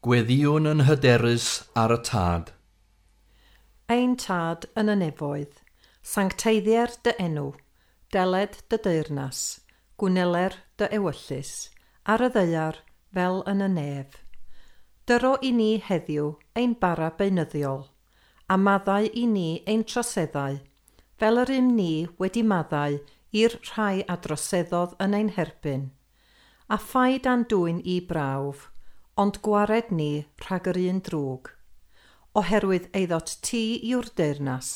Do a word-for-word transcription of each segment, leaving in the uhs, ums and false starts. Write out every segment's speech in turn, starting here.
Gweddïwn yn hyderus ar y Tad. Ein Tad yn y nefoedd, sancteiddier dy enw, deled dy deyrnas, gwneler dy ewyllys, ar y ddaear fel yn y nef. Dyro i ni heddiw ein bara beunyddiol, a maddau i ni ein troseddau, fel yr ym ni wedi maddau i'r rhai a droseddodd yn ein herbyn, a phaid â'n dwyn i brawf, ond gwared ni rhag yr un drwg, oherwydd eiddot ti yw'r deyrnas,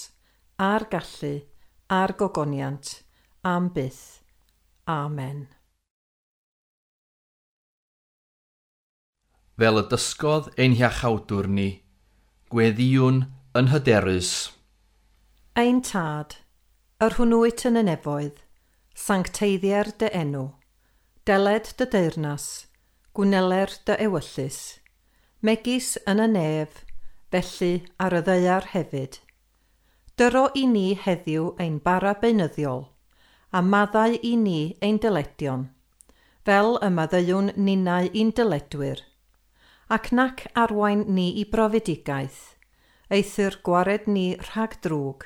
a'r gallu, a'r gogoniant, am byth. Amen. Fel y dysgodd ein hiachawdwr ni, gweddïwn yn hyderus. Ein Tad, yr hwnnw wyt yn y nefoedd, sancteiddier dy enw, deled dy deyrnas, gwneler dy ewyllys, megis yn y nef, felly ar y ddaear hefyd. Dyro i ni heddiw ein bara beunyddiol, a maddau i ni ein dyledion, fel y maddeuwn ninnau i'n dyledwyr, ac nac arwain ni i brofedigaeth, eithr gwared ni rhag drwg,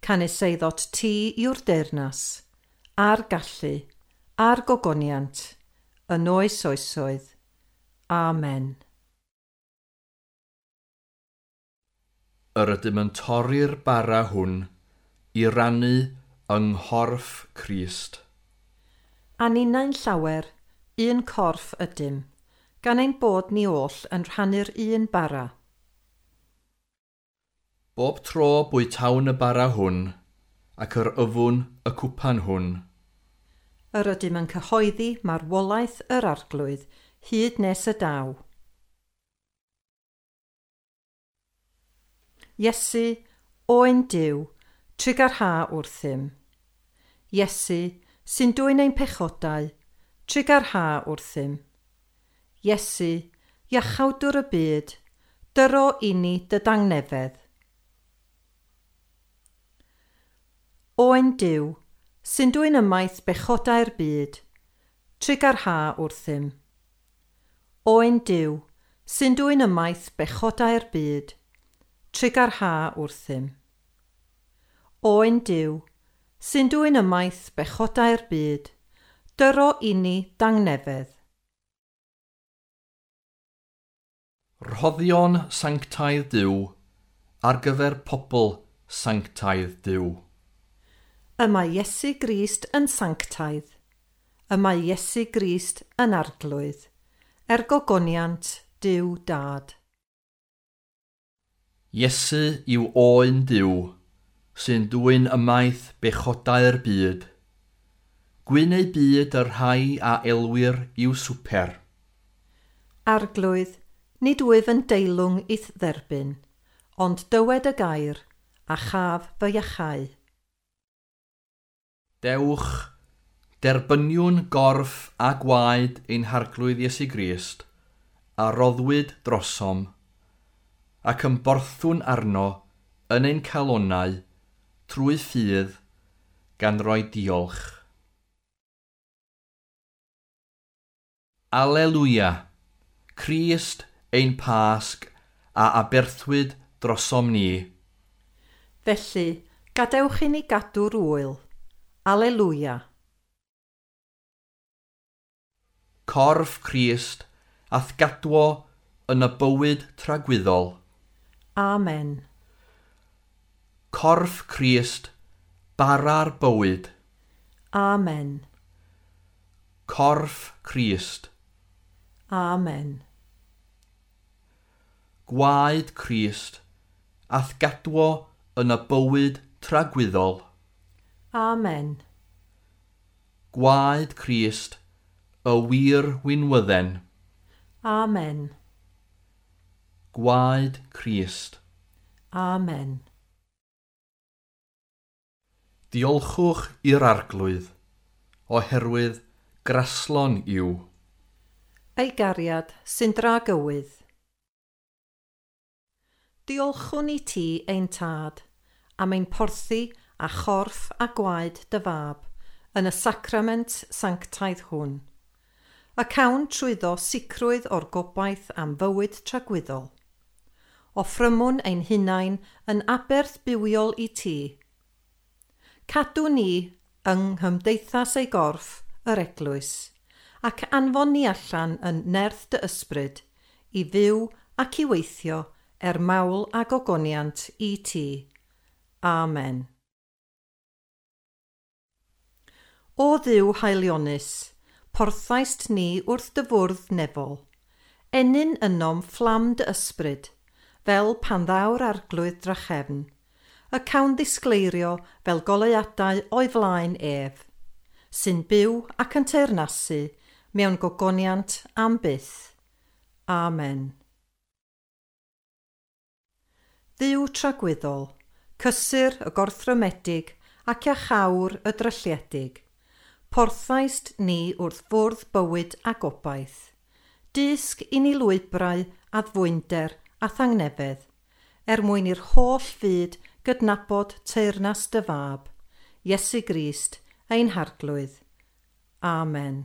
canys eiddot ti yw'r deyrnas, a'r gallu, a'r gogoniant, yn oes oesoedd. Amen. Yr ydym yn torri'r bara hwn i rannu yng nghorff Crist. A ninnau'n llawer, un corff ydym, gan ein bod ni oll yn rhannu'r un bara. Bob tro bwytawn y bara hwn, ac yr yfwn y cwpan hwn. Yr ydym yn cyhoeddi marwolaeth yr Arglwydd hyd nes y daw. Iesu, Oen Duw, trugarha wrthym. Iesu, sy'n dwyn ein pechodau, trugarha wrthym. Iesu, iachawdwr y byd, dyro i ni dy dangnefedd. Oen Duw, sy'n dwyn ymaith bechodau'r byd, trugarha wrthym. Oen Duw, sy'n dwyn ymaith bechodau'r byd, trugarha wrthym. Oen Duw, sy'n dwyn ymaith bechodau'r byd, dyro i ni dangnefedd. Rhoddion sanctaidd Duw ar gyfer pobl sanctaidd Duw. Y mae Iesu Grist yn sanctaidd. Y mae Iesu Grist yn arglwydd, er gogoniant Duw Dad. Iesu yw Oen Duw, sy'n dwyn ymaith bechodau'r byd. Gwyn eu byd y rhai a elwir i'w swper. Arglwydd, nid wyf yn deilwng i'th dderbyn, ond dywed y gair, a chaf fy iachau. Dewch, derbyniwn gorff a gwaed ein Harglwydd Iesu Grist, a roddwyd drosom, ac ymborthwn arno yn ein calonnau trwy ffydd gan roi diolch. Alleluia! Crist ein Pasg a aberthwyd drosom ni. Felly, gadewch i ni gadw'r ŵyl. Alleluia! Corff Crist a'th gadwo yn y bywyd tragwyddol. Amen. Corff Crist, bara'r bywyd. Amen. Corff Crist. Amen. Gwaed Crist a'th gadwo yn y bywyd tragwyddol. Amen. Gwaed Crist, y wir winwydden. Amen. Gwaed Crist. Amen. Diolchwch i'r Arglwydd, oherwydd graslon yw. Ei gariad sy'n dragywydd. Diolchwn i ti ein Tad, am ein porthi a chorff a gwaed dy fab yn y sacrament sanctaidd hwn. Y cawn trwyddo sicrwydd o'r gobaith am fywyd tragwyddol. Offrymwn ein hunain yn aberth bywiol i ti. Cadw ni yng nghymdeithas ei gorff, yr eglwys, ac anfon ni allan yn nerth dy ysbryd, i fyw ac i weithio er mawl a gogoniant i ti. Amen. O Dduw haelionus, porthaist ni wrth dy fwrdd nefol. Ennyn ynom fflam dy ysbryd, fel pan ddaw'r arglwydd drachefn, y cawn ddisgleirio fel goleuadau o'i flaen ef, sy'n byw ac yn teyrnasu mewn gogoniant am byth. Amen. Dduw tragwyddol, cysur y gorthrymedig ac iachawr y drylliedig, porthaist ni wrth fwrdd bywyd a gobaith. Dysg i ni lwybrau addfwynder a thangnefedd, er mwyn i'r holl fyd gydnabod teyrnas dy fab, Iesu Grist, ein Harglwydd. Amen.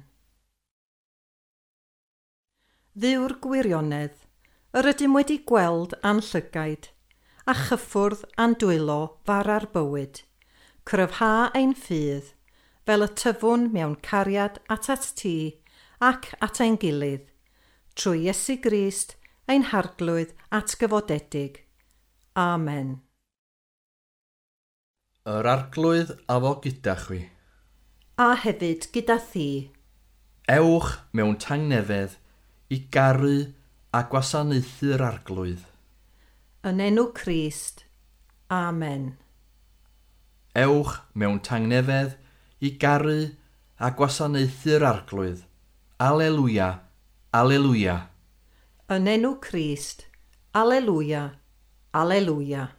Dduw'r gwirionedd, yr ydym wedi gweld a'n llygaid, a chyffwrdd a'n dwylo fara'r bywyd. Cryfha ein ffydd, fel y tyfwn mewn cariad at at ti ac at ein gilydd, trwy Iesu Grist, ein Harglwydd atgyfodedig. Amen. Yr Arglwydd a fo gyda chwi. A hefyd gyda thi. Ewch mewn tangnefedd i garu a gwasanaethu'r Arglwydd. Yn enw Crist. Amen. Ewch mewn tangnefedd i garu a gwasanaethu'r Arglwydd. Alleluia, alleluia. Yn enw Crist. Alleluia, alleluia.